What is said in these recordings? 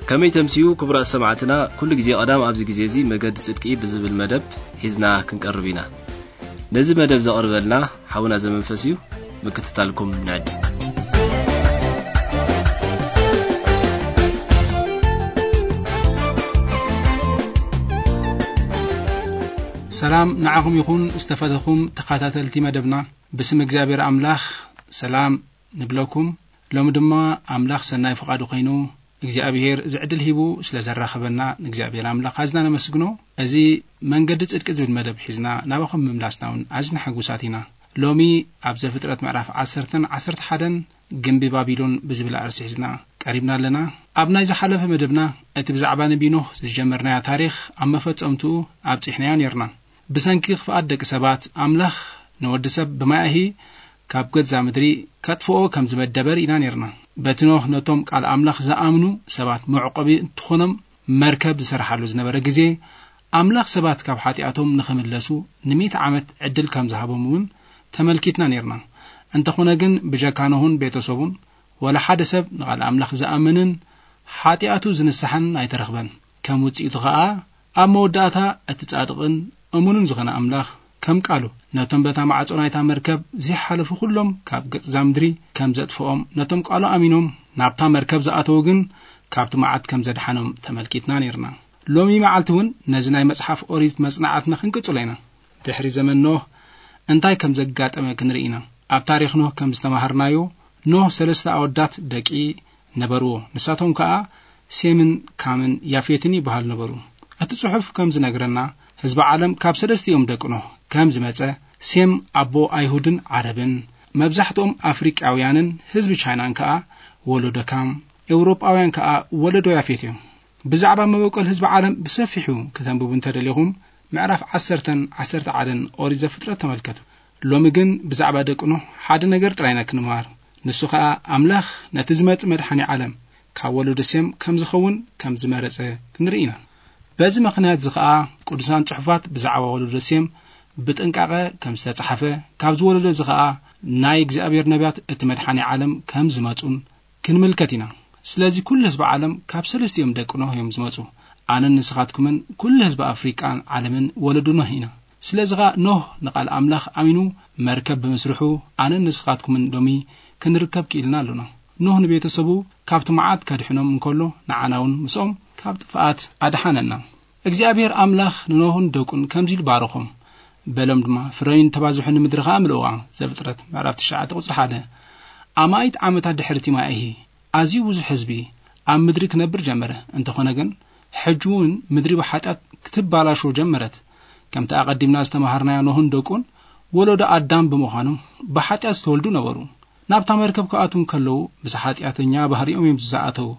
ከመይ ተምስዩ ክቡራት ሰማዕትና፣ ኩሉ ግዜ ቀዳም ኣብዚ ግዜ እዚ መገዲ ጽድቂ ብዝብል መደብ ሒዝና ክንቀርብ ኢና። ነዚ መደብ ዘቕርበልና ሓውና ዘመንፈስ እዩ። ምክትታልኩም ንዕድም። ሰላም ንዓኹም ይኹን ዝተፈተኹም ተኸታተልቲ መደብና። ብስም እግዚኣብሔር ኣምላኽ ሰላም ንብለኩም። ሎሚ ድማ ኣምላኽ ሰናይ ፍቓዱ ኮይኑ እግዚኣብሔር እዚ ዕድል ሂቡ ስለ ዘራኸበና ንእግዚኣብሔር ኣምላኽ ኣዝና ነመስግኖ። እዚ መንገዲ ጽድቂ ዝብል መደብ ሒዝና ናባኹም ምምላስና እውን ኣዝና ሕጉሳት ኢና። ሎሚ ኣብ ዘፍጥረት ምዕራፍ ዓሰርተን ዓሰርተ ሓደን ግምቢ ባቢሎን ብዝብል ኣርእስቲ ሒዝና ቀሪብና ኣለና። ኣብ ናይ ዝሓለፈ መደብና እቲ ብዛዕባ ነቢ ኖህ ዝጀመርናዮ ታሪኽ ኣብ መፈጸምትኡ ኣብጺሕናዮ ነርና። ብሰንኪ ክፍኣት ደቂ ሰባት ኣምላኽ ንወዲ ሰብ ብማያሂ ካብ ገዛ ምድሪ ከጥፍኦ ከም ዝመደበ ርኢና ነርና። በቲ ኖህ ነቶም ቃል ኣምላኽ ዝኣምኑ ሰባት መዕቆቢ እንትኾኖም መርከብ ዝሰርሓሉ ዝነበረ ግዜ ኣምላኽ ሰባት ካብ ሓጢኣቶም ንኽምለሱ ንሚእቲ ዓመት ዕድል ከም ዝሃቦም እውን ተመልኪትና ነርና። እንተኾነ ግን ብጀካ ኖህን ቤተሰቡን ወላ ሓደ ሰብ ንቓል ኣምላኽ ዝኣምንን ሓጢኣቱ ዝንስሓን ኣይተረኽበን። ከም ውጽኢቱ ኸኣ ኣብ መወዳእታ እቲ ጻድቕን እሙንን ዝኾነ ኣምላኽ ከም ቃሉ ነቶም በታ ማዕጾ ናይታ መርከብ ዘይሓለፉ ኩሎም ካብ ገጽ እዛ ምድሪ ከም ዘጥፍኦም ነቶም ቃሉ ኣሚኖም ናብታ መርከብ ዝኣተዉ ግን ካብቲ መዓት ከም ዘድሓኖም ተመልኪትና ነርና። ሎሚ መዓልቲ እውን ነዚ ናይ መጽሓፍ ኦሪት መጽናዕትና ክንቅጽሎ ኢና። ድሕሪ ዘመን ኖህ እንታይ ከም ዘጋጠመ ክንርኢ ኢና። ኣብ ታሪኽ ኖህ ከም ዝተማሃርናዮ ኖህ ሰለስተ ኣወዳት ደቂ ነበርዎ። ንሳቶም ከኣ ሴምን ካምን ያፌትን ይበሃሉ ነበሩ። እቲ ጽሑፍ ከም ዝነግረና ህዝቢ ዓለም ካብ ሰለስቲኦም ደቂ ኖህ ከም ዝመጸ ሴም ኣቦ ኣይሁድን ዓረብን መብዛሕትኦም ኣፍሪቃውያንን ህዝቢ ቻይናን ከኣ ወለዶ ካም፣ ኤውሮጳውያን ከኣ ወለዶ ያፌት እዮም። ብዛዕባ መበቆል ህዝቢ ዓለም ብሰፊሑ ከተንብቡ እንተደሊኹም ምዕራፍ ዓሰርተን ዓሰርተ ሓደን ኦሪት ዘፍጥረት ተመልከቱ። ሎሚ ግን ብዛዕባ ደቂ ኖህ ሓደ ነገር ጥራይ ኢና ክንምሃር። ንሱ ኸኣ ኣምላኽ ነቲ ዝመጽእ መድሓኒ ዓለም ካብ ወለዶ ሴም ከም ዝኸውን ከም ዝመረጸ ክንርኢ ኢና። በዚ ምኽንያት እዚ ኸኣ ቅዱሳን ጽሑፋት ብዛዕባ ወለዶ ሴም ብጥንቃቐ ከም ዝተጻሕፈ፣ ካብዚ ወለዶ እዚ ኸኣ ናይ እግዚኣብሔር ነቢያት እቲ መድሓኒ ዓለም ከም ዝመጹን ክንምልከት ኢና። ስለዚ ኩሉ ህዝቢ ዓለም ካብ ሰለስቲኦም ደቂ ኖህ እዮም ዝመጹ። ኣነን ንስኻትኩምን ኩሉ ህዝቢ ኣፍሪቃን ዓለምን ወለዶ ኖህ ኢና። ስለዚ ኸኣ ኖህ ንቓል ኣምላኽ ኣሚኑ መርከብ ብምስርሑ ኣነን ንስኻትኩምን ሎሚ ክንርከብ ክኢልና ኣሎና። ኖህ ንቤተሰቡ ካብቲ መዓት ከድሕኖም እንከሎ ንዓና እውን ምስኦም ካብ ጥፍኣት ኣድሓነና። እግዚኣብሔር ኣምላኽ ንኖህን ደቁን ከምዚ ኢሉ ባረኾም። በሎም ድማ ፍረዩን ተባዝሑ ንምድሪ ኸኣ ምልእዋ። ዘፍጥረት ምዕራፍ ትሽዓተ ቁጽሪ ሓደ። ኣማኢት ዓመታት ድሕሪ እቲ ማያሂ ኣዝዩ ብዙሕ ህዝቢ ኣብ ምድሪ ክነብር ጀመረ። እንተኾነ ግን ሕጂ እውን ምድሪ ብሓጢኣት ክትባላሾ ጀመረት። ከምቲ ኣቐዲምና ዝተማሃርናዮ ኖህን ደቁን ወለዶ ኣዳም ብምዃኖም ብሓጢኣት ዝተወልዱ ነበሩ። ናብታ መርከብ ክኣትዉ እንከለዉ ምስ ሓጢኣተኛ ባህሪኦም እዮም ዝኣተዉ።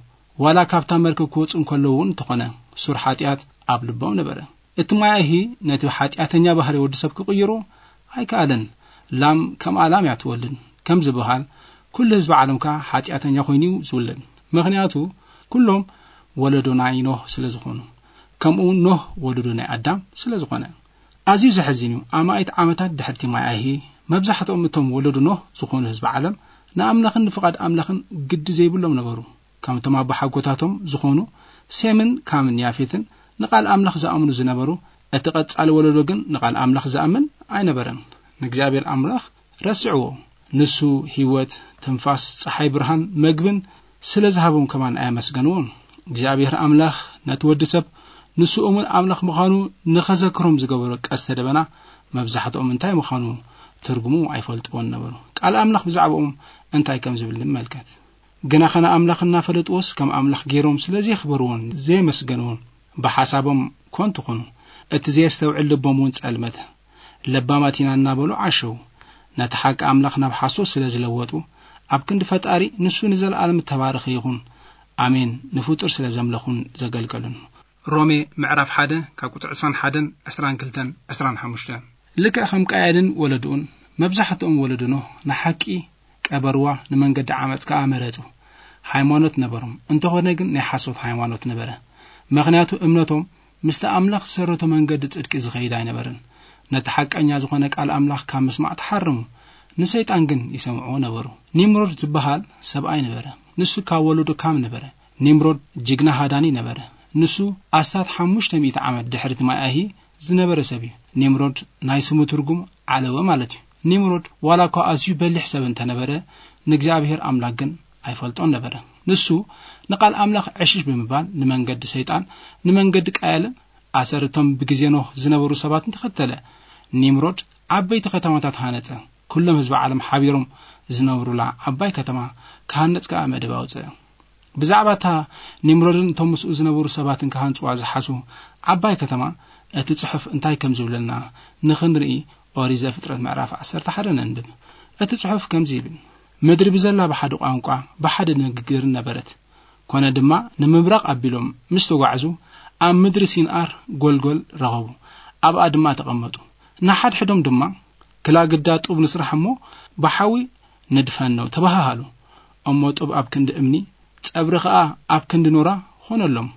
ዋላ ካብታ መርከብ ክወጹ እንከለዉ እውን እንተኾነ ሱር ሓጢኣት ኣብ ልቦም ነበረ። እቲ ማያሂ ነቲ ሓጢኣተኛ ባህሪ ወዲ ሰብ ክቕይሮ ኣይከኣለን። ላም ከምኣ ላም እያ ትወልድ ከም ዝበሃል ኩሉ ህዝቢ ዓለም ከኣ ሓጢኣተኛ ኮይኑ እዩ ዝውለድ። ምኽንያቱ ኩሎም ወለዶ ናይ ኖህ ስለ ዝኾኑ፣ ከምኡ እውን ኖህ ወለዶ ናይ ኣዳም ስለ ዝኾነ። ኣዝዩ ዘሕዝን እዩ። ኣማኢት ዓመታት ድሕርቲ ማያሂ መብዛሕትኦም እቶም ወለዶ ኖህ ዝኾኑ ህዝቢ ዓለም ንኣምላኽን ንፍቓድ ኣምላኽን ግዲ ዘይብሎም ነበሩ። ከምቶም ኣቦሓጎታቶም ዝኾኑ ሴምን ካምን ያፌትን ንቓል ኣምላኽ ዝኣምኑ ዝነበሩ፣ እቲ ቀጻሊ ወለዶ ግን ንቓል ኣምላኽ ዝኣምን ኣይነበረን። ንእግዚኣብሔር ኣምላኽ ረስዕዎ። ንሱ ህይወት፣ ትንፋስ፣ ጸሓይ ብርሃን፣ መግብን ስለ ዝሃቦም ከማን ኣየመስገንዎን። እግዚኣብሔር ኣምላኽ ነቲ ወዲ ሰብ ንሱ እሙን ኣምላኽ ምዃኑ ንኸዘክሮም ዝገበሮ ቀስተ ደበና መብዛሕትኦም እንታይ ምዃኑ ትርጉሙ ኣይፈልጥዎን ነበሩ። ቃል ኣምላኽ ብዛዕባኦም እንታይ ከም ዝብል ንመልከት። ግና ኸነ ኣምላኽ እናፈለጥዎስ ከም ኣምላኽ ገይሮም ስለ ዘየኽበርዎን ዘየመስገንዎን ብሓሳቦም ኮንቱ ኾኑ። እቲ ዘየስተውዕል ልቦም እውን ጸልመተ። ለባማት ኢና እናበሉ ዓሸው። ነቲ ሓቂ ኣምላኽ ናብ ሓሶት ስለ ዝለወጡ ኣብ ክንዲ ፈጣሪ ንሱ ንዘለኣለም እተባረኸ ይኹን ኣሜን ንፍጡር ስለ ዘምለኹን ዘገልገሉን። ሮሜ ምዕራፍ ሓደ ካብ ቁጽሪ ዕስራን ሓደን ዕስራን ክልተን ዕስራን ሓሙሽተን። ልክዕ ከም ቃየልን ወለድኡን መብዛሕትኦም ወለድኖ ንሓቂ ቀበርዋ ንመንገዲ ዓመጽ ከኣ መረጹ። ሃይማኖት ነበሮም እንተኾነ ግን ናይ ሓሶት ሃይማኖት ነበረ። ምኽንያቱ እምነቶም ምስቲ ኣምላኽ ዝሰረቶ መንገዲ ጽድቂ ዝኸይድ ኣይነበረን። ነቲ ሓቀኛ ዝኾነ ቃል ኣምላኽ ካብ ምስማዕ ተሓረሙ። ንሰይጣን ግን ይሰምዕዎ ነበሩ። ኒምሮድ ዝበሃል ሰብኣይ ነበረ። ንሱ ካብ ወለዶ ካም ነበረ። ኒምሮድ ጅግና ሃዳኒ ነበረ። ንሱ ኣስታት ሓሙሽተ ሚእቲ ዓመት ድሕሪ እቲ ማይ ኣይሂ ዝነበረ ሰብ እዩ። ኒምሮድ ናይ ስሙ ትርጉም ዓለወ ማለት እዩ። ኒምሮድ ዋላ እኳ ኣዝዩ በሊሕ ሰብ እንተነበረ፣ ንእግዚኣብሔር ኣምላኽ ግን ኣይፈልጦን ነበረ። ንሱ ንቓል ኣምላኽ ዕሽሽ ብምባል፣ ንመንገዲ ሰይጣን፣ ንመንገዲ ቃየልን ኣሰርቶም ብግዜ ኖህ ዝነበሩ ሰባትን ተኸተለ። ኒምሮድ ዓበይቲ ከተማታት ሃነጸ። ኩሎም ህዝቢ ዓለም ሓቢሮም ዝነብሩላ ዓባይ ከተማ ክሃነጽ ከኣ መደብ ኣውጽአ። ብዛዕባ እታ ኒምሮድን እቶም ምስኡ ዝነበሩ ሰባትን ክሃንጽዋ ዝሓሱ ዓባይ ከተማ እቲ ጽሑፍ እንታይ ከም ዝብለና ንኽንርኢ ኦሪት ዘፍጥረት ምዕራፍ ዓሰርተ ሓደ ነንብብ። እቲ ጽሑፍ ከምዚ ይብል፣ ምድሪ ብዘላ ብሓደ ቋንቋ ብሓደ ንግግርን ነበረት። ኮነ ድማ ንምብራቕ ኣቢሎም ምስ ተጓዕዙ ኣብ ምድሪ ሲንኣር ጎልጎል ረኸቡ። ኣብኣ ድማ ተቐመጡ። ንሓድሕዶም ድማ ክላግዳ ጡብ ንስራሕ እሞ ብሓዊ ንድፈኖ ተባሃሃሉ። እሞ ጡብ ኣብ ክንዲ እምኒ፣ ጸብሪ ኸኣ ኣብ ክንዲ ኖራ ኾነሎም።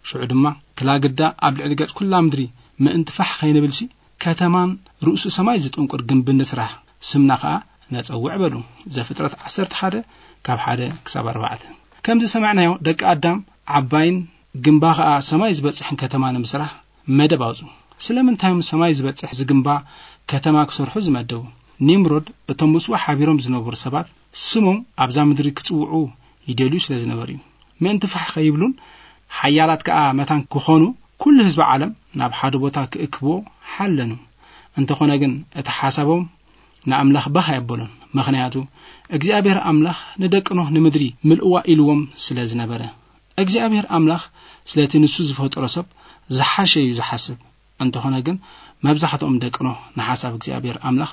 ሽዑ ድማ ክላግዳ ኣብ ልዕሊ ገጽ ኩላ ምድሪ ምእንቲ ፋሕ ኸይንብልሲ ከተማን ርእሱ ሰማይ ዝጥንቁር ግንቢ ንስራሕ፣ ስምና ኸኣ ነጸውዕ በሉ። ዘፍጥረት ዓሰርተ ሓደ ካብ ሓደ ክሳብ ኣርባዕተ። ከምዚ ሰማዕናዮ ደቂ ኣዳም ዓባይን ግንባ ኸኣ ሰማይ ዝበጽሕን ከተማ ንምስራሕ መደብ ኣውጹ። ስለምንታይ እዮም ሰማይ ዝበጽሕ ዝግንባ ከተማ ክሰርሑ ዝመደቡ? ኒምሮድ እቶም ምስኡ ሓቢሮም ዝነበሩ ሰባት ስሞም ኣብዛ ምድሪ ክጽውዑ ይደልዩ ስለ ዝነበሩ እዩ። ምእንቲ ፋሕ ከይብሉን ሓያላት ከኣ መታን ክኾኑ ኩሉ ህዝቢ ዓለም ናብ ሓደ ቦታ ክእክብዎ ሓለኑ። እንተኾነ ግን እቲ ሓሳቦም ንኣምላኽ ባህ ኣየበሎን። ምኽንያቱ እግዚኣብሔር ኣምላኽ ንደቂ ኖህ ንምድሪ ምልእዋ ኢልዎም ስለ ዝነበረ። እግዚኣብሔር ኣምላኽ ስለቲ ንሱ ዝፈጠሮ ሰብ ዝሓሸ እዩ ዝሓስብ። እንተኾነ ግን መብዛሕትኦም ደቂ ኖህ ንሓሳብ እግዚኣብሔር ኣምላኽ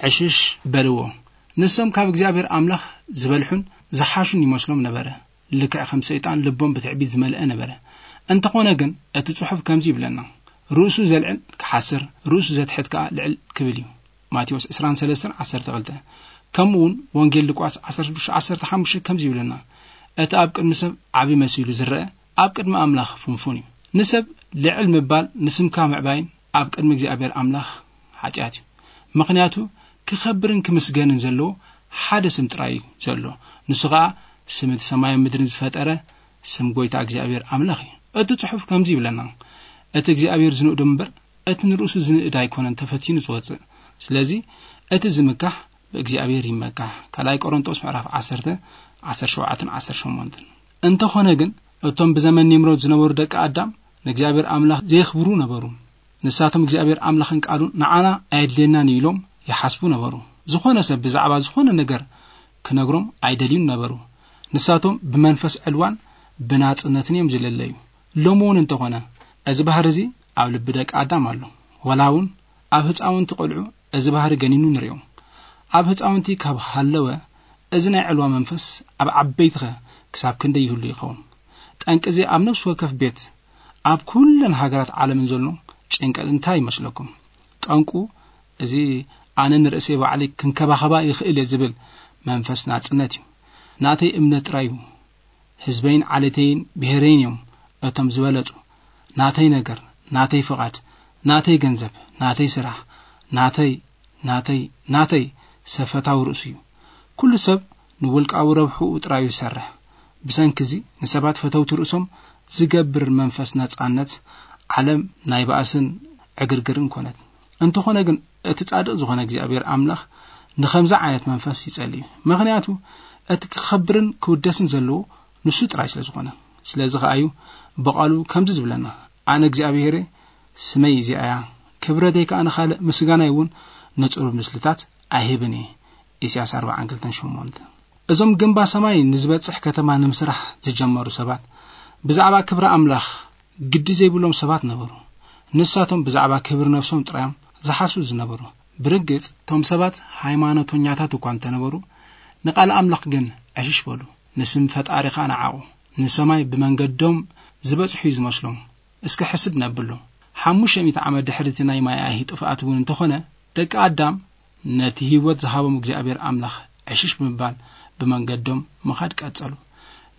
ዕሽሽ በልዎ። ንሶም ካብ እግዚኣብሔር ኣምላኽ ዝበልሑን ዝሓሹን ይመስሎም ነበረ። ልክዕ ከም ሰይጣን ልቦም ብትዕቢት ዝመልአ ነበረ። እንተኾነ ግን እቲ ጽሑፍ ከምዚ ይብለና፣ ርእሱ ዘልዕል ክሓስር፣ ርእሱ ዘትሕት ከኣ ልዕል ክብል እዩ። ማቴዎስ ዕስራን ሰለስተን ዓሰርተ ክልተ። ከምኡ እውን ወንጌል ሉቃስ ዓሰርተ ሽዱሽተ ዓሰርተ ሓሙሽተ ከምዚ ይብለና፣ እቲ ኣብ ቅድሚ ሰብ ዓቢ መሲሉ ዝረአ ኣብ ቅድሚ ኣምላኽ ፍንፉን እዩ። ንሰብ ልዕል ምባል ንስምካ ምዕባይን ኣብ ቅድሚ እግዚኣብሔር ኣምላኽ ሓጢኣት እዩ። ምኽንያቱ ክኸብርን ክምስገንን ዘለዎ ሓደ ስም ጥራይ እዩ ዘሎ። ንሱ ኸኣ ስም እቲ ሰማይን ምድርን ዝፈጠረ ስም ጐይታ እግዚኣብሔር ኣምላኽ እዩ። እቲ ጽሑፍ ከምዚ ይብለና፣ እቲ እግዚኣብሔር ዝንእዶ እምበር እቲ ንርእሱ ዝንእድ ኣይኮነን ተፈቲኑ ዝወጽእ። ስለዚ እቲ ዝምካሕ ብእግዚኣብሔር ይመካሕ። ካልኣይ ቆሮንቶስ ምዕራፍ ዓሰርተ፣ ዓሰርተ ሸውዓተን ዓሰርተ ሸሞንተን። እንተኾነ ግን እቶም ብዘመን ኒምሮድ ዝነበሩ ደቂ ኣዳም ንእግዚኣብሔር ኣምላኽ ዘየኽብሩ ነበሩ። ንሳቶም እግዚኣብሔር ኣምላኽን ቃሉን ንዓና ኣየድልየናን እዩ ኢሎም ይሓስቡ ነበሩ። ዝኾነ ሰብ ብዛዕባ ዝኾነ ነገር ክነግሮም ኣይደልዩን ነበሩ። ንሳቶም ብመንፈስ ዕልዋን ብናጽነትን እዮም ዝለለዩ። ሎሚ እውን እንተኾነ እዚ ባህሪ እዚ ኣብ ልቢ ደቂ ኣዳም ኣሎ። ወላ እውን ኣብ ህፃውንቲ ቆልዑ እዚ ባህሪ ገኒኑ ንሪኦ። ኣብ ህፃውንቲ ካብ ሃለወ እዚ ናይ ዕልዋ መንፈስ ኣብ ዓበይትኸ ክሳብ ክንደይ ይህሉ ይኸውን? ጠንቂ እዚ ኣብ ነፍሲ ወከፍ ቤት ኣብ ኩለን ሃገራት ዓለምን ዘሎ ጭንቀት እንታይ ይመስለኩም? ጠንቁ እዚ ኣነ ንርእሰይ ባዕለይ ክንከባኸባ ይኽእል እየ ዝብል መንፈስ ናጽነት እዩ። ናተይ እምነት ጥራይ እዩ። ህዝበይን ዓሌተይን ብሄረይን እዮም እቶም ዝበለጹ። ናተይ ነገር፣ ናተይ ፍቓድ፣ ናተይ ገንዘብ፣ ናተይ ስራሕ፣ ናተይ፣ ናተይ፣ ናተይ ሰብ ፈታዊ ርእሱ እዩ። ኩሉ ሰብ ንውልቃዊ ረብሕኡ ጥራይ እዩ ዝሰርሕ። ብሰንኪ እዚ ንሰባት ፈተውቲ ርእሶም ዝገብር መንፈስ ነጻነት ዓለም ናይ ባእስን ዕግርግርን ኮነት። እንተኾነ ግን እቲ ጻድቕ ዝኾነ እግዚኣብሔር ኣምላኽ ንኸምዚ ዓይነት መንፈስ ይጸሊ እዩ። ምኽንያቱ እቲ ክኸብርን ክውደስን ዘለዎ ንሱ ጥራይ ስለ ዝኾነ። ስለዚ ኸኣ እዩ ብቓሉ ከምዚ ዝብለና፣ ኣነ እግዚኣብሔር እየ፣ ስመይ እዚኣ እያ፣ ክብረተይ ከኣ ንኻልእ፣ ምስጋናይ እውን ንጽሩብ ምስልታት ኣይህብን እየ። ኢሳያስ ኣርብዓን ክልተን ሸሞንተ። እዞም ግንባ ሰማይ ንዝበጽሕ ከተማ ንምስራሕ ዝጀመሩ ሰባት ብዛዕባ ክብሪ ኣምላኽ ግዲ ዘይብሎም ሰባት ነበሩ። ንሳቶም ብዛዕባ ክብሪ ነፍሶም ጥራዮም ዝሓስቡ ዝነበሩ። ብርግጽ እቶም ሰባት ሃይማኖተኛታት እኳ እንተነበሩ፣ ንቓል ኣምላኽ ግን ዕሽሽ በሉ። ንስም ፈጣሪ ኸኣ ነዓቑ። ንሰማይ ብመንገዶም ዝበጽሑ እዩ ዝመስሎም። እስከ ሕስብ ነብሎ። ሓሙሽተ ሚእቲ ዓመት ድሕሪ እቲ ናይ ማይ ኣይሂ ጥፍኣት እውን እንተኾነ፣ ደቂ ኣዳም ነቲ ህይወት ዝሃቦም እግዚኣብሔር ኣምላኽ ዕሽሽ ብምባል ብመንገዶም ምኻድ ቀጸሉ።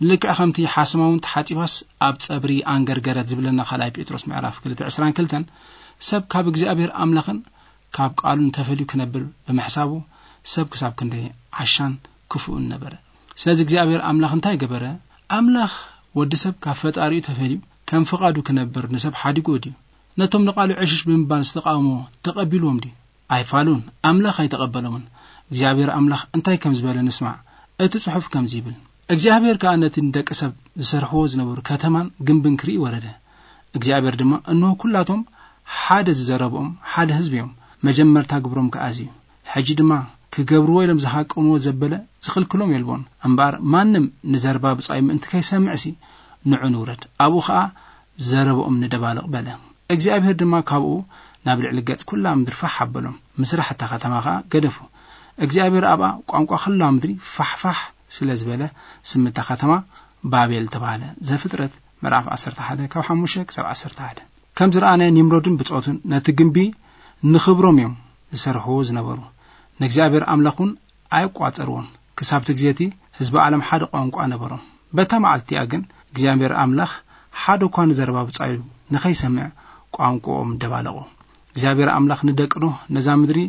ልክዕ ከምቲ ሓሰማ እውን ተሓጺባስ ኣብ ጸብሪ ኣንገርገረት ዝብለና ካልኣይ ጴጥሮስ ምዕራፍ ክልተ ዕስራን ክልተን፣ ሰብ ካብ እግዚኣብሔር ኣምላኽን ካብ ቃሉን ተፈልዩ ክነብር ብምሕሳቡ ሰብ ክሳብ ክንደይ ዓሻን ክፉእን ነበረ። ስለዚ እግዚኣብሔር ኣምላኽ እንታይ ገበረ? ኣምላኽ ወዲ ሰብ ካብ ፈጣሪኡ ተፈልዩ ከም ፍቓዱ ክነብር ንሰብ ሓዲጉ ድዩ? ነቶም ንቓሉ ዕሽሽ ብምባል ዝተቃወሞ ተቐቢልዎም ድዩ? ኣይፋሉን። ኣምላኽ ኣይተቐበሎምን። እግዚኣብሔር ኣምላኽ እንታይ ከም ዝበለ ንስማዕ። እቲ ጽሑፍ ከምዚ ይብል፣ እግዚኣብሔር ከኣ ነቲ ንደቂ ሰብ ዝሰርሕዎ ዝነበሩ ከተማን ግንብን ክርኢ ወረደ። እግዚኣብሔር ድማ፣ እንሆ፣ ኩላቶም ሓደ ዝዘረብኦም ሓደ ህዝቢ እዮም። መጀመርታ ግብሮም ከኣ እዚ እዩ። ሕጂ ድማ ክገብርዎ ኢሎም ዝሃቀንዎ ዘበለ ዝኽልክሎም የልቦን። እምበኣር ማንም ንዘረባ ብጻዩ ምእንቲ ከይሰምዕሲ ንዑ ንውረድ፣ ኣብኡ ኸኣ ዘረብኦም ንደባልቕ በለ። እግዚኣብሔር ድማ ካብኡ ናብ ልዕሊ ገጽ ኩላ ምድሪ ፋሕ ኣበሎም። ምስራሕ እታ ከተማ ኸኣ ገደፉ። እግዚኣብሔር ኣብኣ ቋንቋ ኩላ ምድሪ ፋሕፋሕ ስለ ዝበለ ስም እታ ከተማ ባቤል ተባህለ። ዘፍጥረት ምዕራፍ ዓሰርተ ሓደ ካብ ሓሙሽተ ክሳብ ዓሰርተ ሓደ። ከም ዝረኣናዮ ኒምሮድን ብጾቱን ነቲ ግንቢ ንኽብሮም እዮም ዝሰርሕዎ ዝነበሩ። ንእግዚኣብሔር ኣምላኽ እውን ኣይቋጸርዎን። ክሳብቲ ግዜ እቲ ህዝቢ ዓለም ሓደ ቋንቋ ነበሮም። በታ መዓልቲ እቲኣ ግን እግዚኣብሔር ኣምላኽ ሓደ እኳ ንዘረባ ብጻዩ ንኸይሰምዕ ቋንቋኦም ደባለቖ። እግዚኣብሔር ኣምላኽ ንደቂ ኖህ ነዛ ምድሪ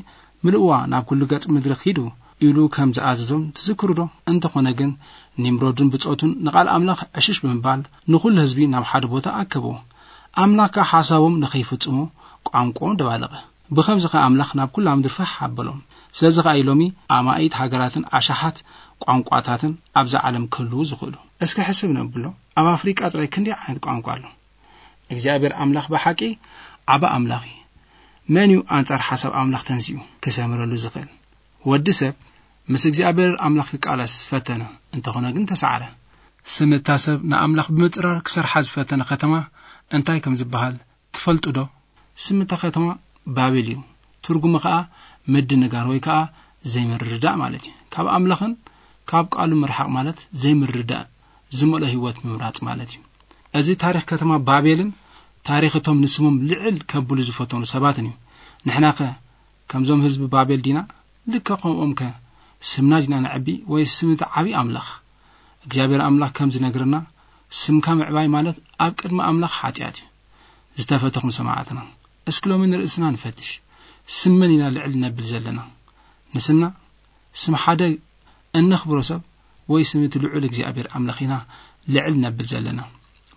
ምልእዋ፣ ናብ ኩሉ ገጽ ምድሪ ኺዱ ኢሉ ከም ዝኣዘዞም ትዝክሩ ዶ? እንተኾነ ግን ኒምሮድን ብጾቱን ንቓል ኣምላኽ ዕሽሽ ብምባል ንኹሉ ህዝቢ ናብ ሓደ ቦታ ኣከብዎ። ኣምላኽ ከኣ ሓሳቦም ንኸይፍጽሙ ቋንቋኦም ደባለቐ። ብኸምዚ ኸኣ ኣምላኽ ናብ ኩላ ምድሪ ፋሕ ኣበሎም። ስለዚ ኸኣ እዩ ሎሚ ኣማኢት ሃገራትን ኣሽሓት ቋንቋታትን ኣብዛ ዓለም ክህልዉ ዝኽእሉ። እስኪ ሕስብ ነብሎ፣ ኣብ ኣፍሪቃ ጥራይ ክንደይ ዓይነት ቋንቋ ኣሎ? እግዚኣብሔር ኣምላኽ ብሓቂ ዓቢ ኣምላኽ እዩ። መን እዩ ኣንጻር ሓሳብ ኣምላኽ ተንሲኡ ክሰምረሉ ዝኽእል? ወዲ ሰብ ምስ እግዚኣብሔር ኣምላኽ ክቃለስ ፈተነ፣ እንተኾነ ግን ተሰዓረ። ስም እታ ሰብ ንኣምላኽ ብምጽራር ክሰርሓ ዝፈተነ ከተማ እንታይ ከም ዝበሃል ትፈልጡ ዶ? ስም እታ ከተማ ባቤል እዩ። ትርጉሙ ኸኣ ምድንጋር ወይ ከኣ ዘይምርድዳእ ማለት እዩ። ካብ ኣምላኽን ካብ ቃሉ ምርሓቕ ማለት ዘይምርድዳእ ዝመልኦ ህይወት ምምራጽ ማለት እዩ። እዚ ታሪኽ ከተማ ባቤልን ታሪኽ እቶም ንስሞም ልዕል ከብሉ ዝፈተኑ ሰባትን እዩ። ንሕናኸ ከምዞም ህዝቢ ባቤል ዲና? ልክዕ ከምኦምከ ስምና ዲና ነዕቢ ወይስ ስም እቲ ዓቢ ኣምላኽ? እግዚኣብሔር ኣምላኽ ከም ዝነግረና፣ ስምካ ምዕባይ ማለት ኣብ ቅድሚ ኣምላኽ ሓጢኣት እዩ። ዝተፈተኹም ሰማዕትና፣ እስኪ ሎሚ ንርእስና ንፈትሽ። ስም መን ኢና ልዕል ነብል ዘለና? ንስምና? ስም ሓደ እነኽብሮ ሰብ ወይ ስም እቲ ልዑል እግዚኣብሔር ኣምላኽ ኢና ልዕል ነብል ዘለና?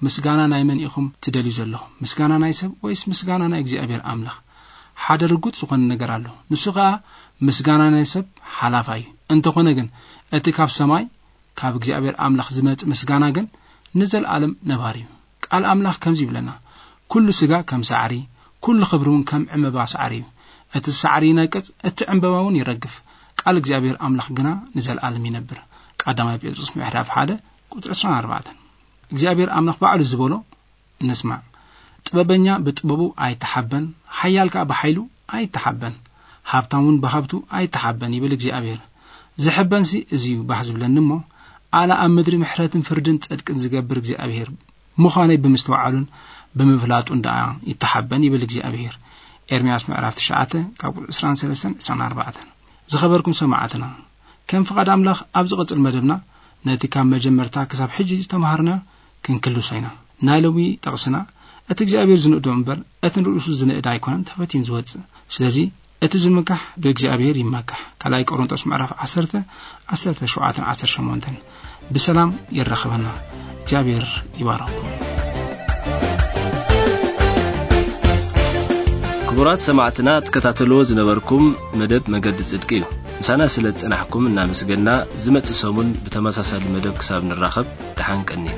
ምስጋና ናይ መን ኢኹም ትደልዩ ዘለኹም? ምስጋና ናይ ሰብ ወይስ ምስጋና ናይ እግዚኣብሔር ኣምላኽ? ሓደ ርጉጽ ዝኾነ ነገር ኣሎ። ንሱ ኸኣ ምስጋና ናይ ሰብ ሓላፋይ እዩ። እንተኾነ ግን እቲ ካብ ሰማይ ካብ እግዚኣብሔር ኣምላኽ ዝመጽእ ምስጋና ግን ንዘለኣለም ነባሪ እዩ። ቃል ኣምላኽ ከምዚ ይብለና፣ "ኩሉ ስጋ ከም ሳዕሪ፣ ኩሉ ክብሪ እውን ከም ዕምባባ ሳዕሪ እዩ። እቲ ሳዕሪ ይነቅጽ፣ እቲ ዕምባባ እውን ይረግፍ፣ ቃል እግዚኣብሔር ኣምላኽ ግና ንዘለኣለም ይነብር።" ቀዳማይ ጴጥሮስ ምዕራፍ ሓደ ቁጽሪ ዕስራን ኣርባዕተን። እግዚኣብሔር ኣምላኽ ባዕሉ ዝበሎ ንስማዕ። "ጥበበኛ ብጥበቡ ኣይተሓበን፣ ሓያል ከኣ ብሓይሉ ኣይተሓበን፣ ሃብታም እውን ብሃብቱ ኣይተሓበን" ይብል እግዚኣብሔር። "ዝሕበንሲ እዚ እዩ ባህ ዝብለኒ እሞ፣ ኣነ ኣብ ምድሪ ምሕረትን ፍርድን ጽድቅን ዝገብር እግዚኣብሔር ምዃነይ ብምስትውዓሉን ብምፍላጡን ደኣ ይተሓበን" ይብል እግዚኣብሔር። ኤርምያስ ምዕራፍ ትሽዓተ ካብ ቁጽሪ ዕስራን ሰለስተን ዕስራን ኣርባዕተን። ዝኸበርኩም ሰማዕትና፣ ከም ፍቓድ ኣምላኽ ኣብ ዝቕጽል መደብና ነቲ ካብ መጀመርታ ክሳብ ሕጂ ዝተማሃርናዮ ክንክልሶ ኢና። ናይ ሎሚ ጥቕስና፣ እቲ እግዚኣብሔር ዝንእዶ እምበር፣ እቲ ንርእሱ ዝንእድ ኣይኮነን ተፈቲኑ ዝወጽእ። ስለዚ፣ እቲ ዝምካሕ ብእግዚኣብሔር ይመካሕ። ካልኣይ ቆሮንቶስ ምዕራፍ ዓሰርተ፣ ዓሰርተ ሸውዓተን ዓሰርተ ሸሞንተን። ብሰላም የራኽበና። እግዚኣብሔር ይባርኽኩም። ክቡራት ሰማዕትና፣ ትከታተልዎ ዝነበርኩም መደብ መገዲ ጽድቂ እዩ። ምሳና ስለ ዝጸናሕኩም እናመስገና፣ ዝመጽእ ሰሙን ብተመሳሳሊ መደብ ክሳብ ንራኸብ፣ ደሓን ቀንዩ።